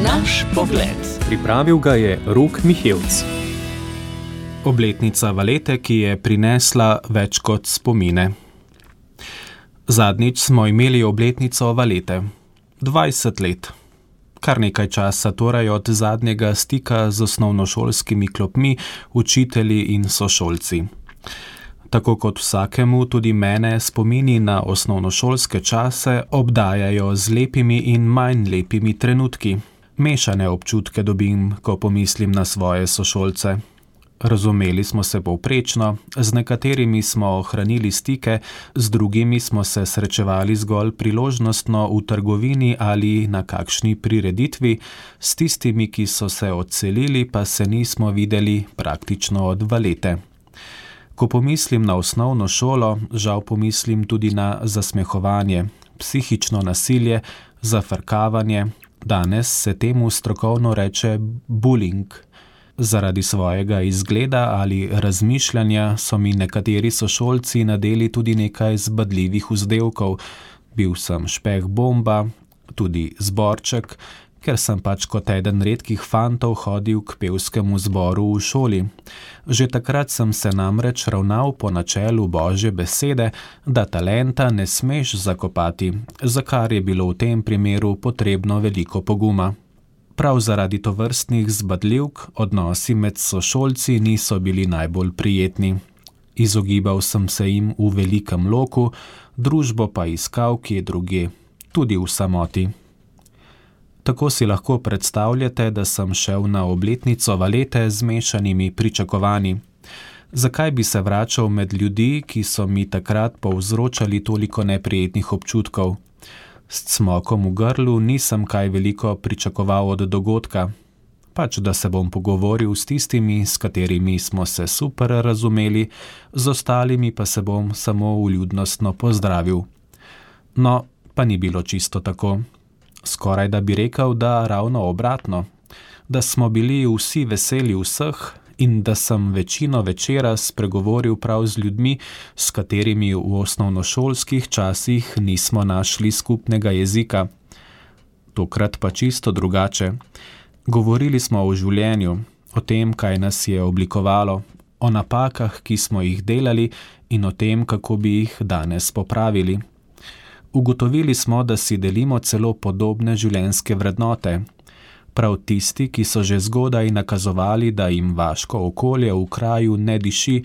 Naš pogled. Pripravil ga je Rok Mihevc. Obletnica Valete, ki je prinesla več kot spomine. Zadnjič smo imeli obletnico Valete. 20 let. Kar nekaj časa torej od zadnjega stika z osnovnošolskimi klopmi, učitelji in sošolci. Tako kot vsakemu, tudi mene spomini na osnovnošolske čase obdajajo z lepimi in manj lepimi trenutki. Mešane občutke dobim, ko pomislim na svoje sošolce. Razumeli smo se povprečno, z nekaterimi smo ohranili stike, z drugimi smo se srečevali zgolj priložnostno v trgovini ali na kakšni prireditvi, s tistimi, ki so se odselili, pa se nismo videli praktično od Valete. Ko pomislim na osnovno šolo, žal pomislim tudi na zasmehovanje, psihično nasilje, zafrkavanje, danes se temu strokovno reče bullying. Zaradi svojega izgleda ali razmišljanja so mi nekateri sošolci nadeli tudi nekaj zbadljivih vzdevkov. Bil sem špeh bomba, tudi zborček, ker sem pač kot eden redkih fantov hodil k pevskemu zboru v šoli. Že takrat sem se namreč ravnal po načelu Božje besede, da talenta ne smeš zakopati, za kar je bilo v tem primeru potrebno veliko poguma. Prav zaradi tovrstnih zbadljivk odnosi med sošolci niso bili najbolj prijetni. Izogibal sem se jim v velikem loku, družbo pa iskal kje drugje, tudi v samoti. Tako si lahko predstavljate, da sem šel na obletnico Valete z mešanimi pričakovanji. Zakaj bi se vračal med ljudi, ki so mi takrat povzročali toliko neprijetnih občutkov? S cmokom v grlu nisem kaj veliko pričakoval od dogodka. Pač, da se bom pogovoril s tistimi, s katerimi smo se super razumeli, z ostalimi pa se bom samo vljudnostno pozdravil. No, pa ni bilo čisto tako. Skoraj da bi rekel, da ravno obratno, da smo bili vsi veseli vseh in da sem večino večera spregovoril prav z ljudmi, s katerimi v osnovnošolskih časih nismo našli skupnega jezika. Tokrat pa čisto drugače. Govorili smo o življenju, o tem, kaj nas je oblikovalo, o napakah, ki smo jih delali in o tem, kako bi jih danes popravili. Ugotovili smo, da si delimo celo podobne življenjske vrednote. Prav tisti, ki so že zgodaj nakazovali, da jim vaško okolje v kraju ne diši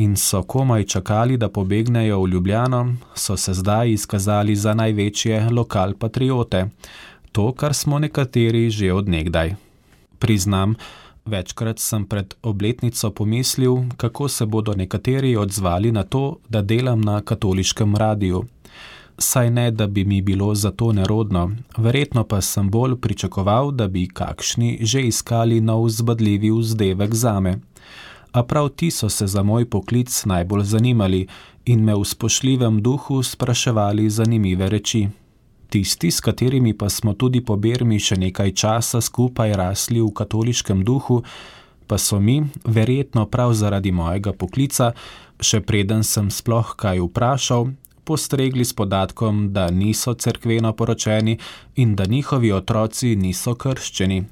in so komaj čakali, da pobegnejo v Ljubljano, so se zdaj izkazali za največje lokalpatriote. To, kar smo nekateri že od nekdaj. Priznam, večkrat sem pred obletnico pomislil, kako se bodo nekateri odzvali na to, da delam na katoliškem radiju. Saj ne, da bi mi bilo za to nerodno, verjetno pa sem bolj pričakoval, da bi kakšni že iskali nov zbadljivi vzdevek zame. A prav ti so se za moj poklic najbolj zanimali in me v spoštljivem duhu spraševali zanimive reči. Tisti, s katerimi pa smo tudi po bermi še nekaj časa skupaj rasli v katoliškem duhu, pa so mi, verjetno prav zaradi mojega poklica, še preden sem sploh kaj vprašal, postregli s podatkom, da niso cerkveno poročeni in da njihovi otroci niso krščeni,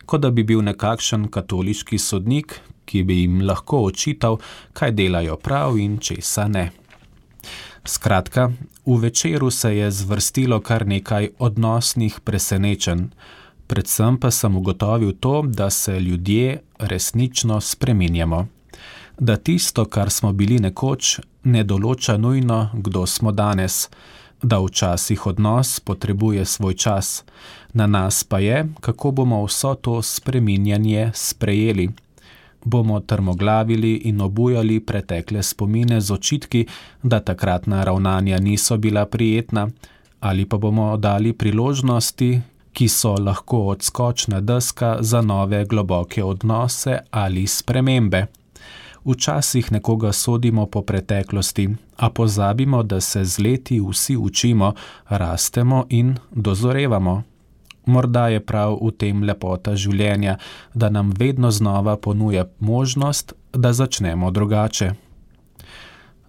kot da bi bil nekakšen katoliški sodnik, ki bi jim lahko očital, kaj delajo prav in česa ne. Skratka, v večeru se je zvrstilo kar nekaj odnosnih presenečenj, predvsem pa sem ugotovil to, da se ljudje resnično spreminjamo. Da tisto, kar smo bili nekoč, ne določa nujno, kdo smo danes, da včasih odnos potrebuje svoj čas, na nas pa je, kako bomo vso to spreminjanje sprejeli. Bomo trmoglavili in obujali pretekle spomine z očitki, da takratna ravnanja niso bila prijetna, ali pa bomo dali priložnosti, ki so lahko odskočna deska za nove globoke odnose ali spremembe. Včasih nekoga sodimo po preteklosti, a pozabimo, da se z leti vsi učimo, rastemo in dozorevamo. Morda je prav v tem lepota življenja, da nam vedno znova ponuja možnost, da začnemo drugače.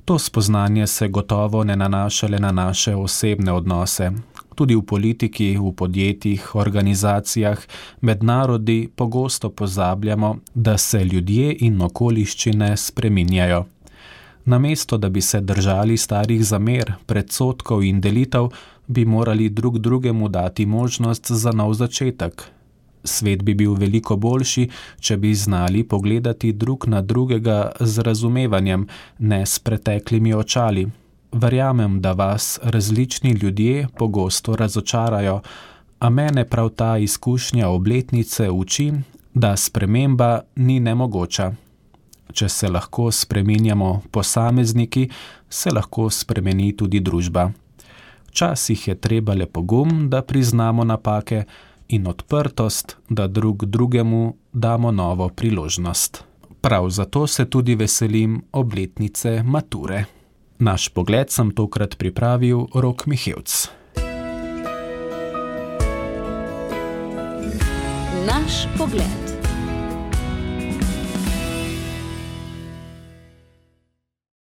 To spoznanje se gotovo ne nanaša le na naše osebne odnose. Tudi v politiki, v podjetjih, organizacijah, med narodi pogosto pozabljamo, da se ljudje in okoliščine spreminjajo. Namesto, da bi se držali starih zamer, predsodkov in delitev, bi morali drug drugemu dati možnost za nov začetek. Svet bi bil veliko boljši, če bi znali pogledati drug na drugega z razumevanjem, ne s preteklimi očali. Verjamem, da vas različni ljudje pogosto razočarajo, a mene prav ta izkušnja obletnice uči, da sprememba ni nemogoča. Če se lahko spreminjamo posamezniki, se lahko spremeni tudi družba. Včasih je treba le pogum, da priznamo napake, in odprtost, da drug drugemu damo novo priložnost. Prav zato se tudi veselim obletnice mature. Naš pogled sem tokrat pripravil Rok Mihevc. Naš pogled.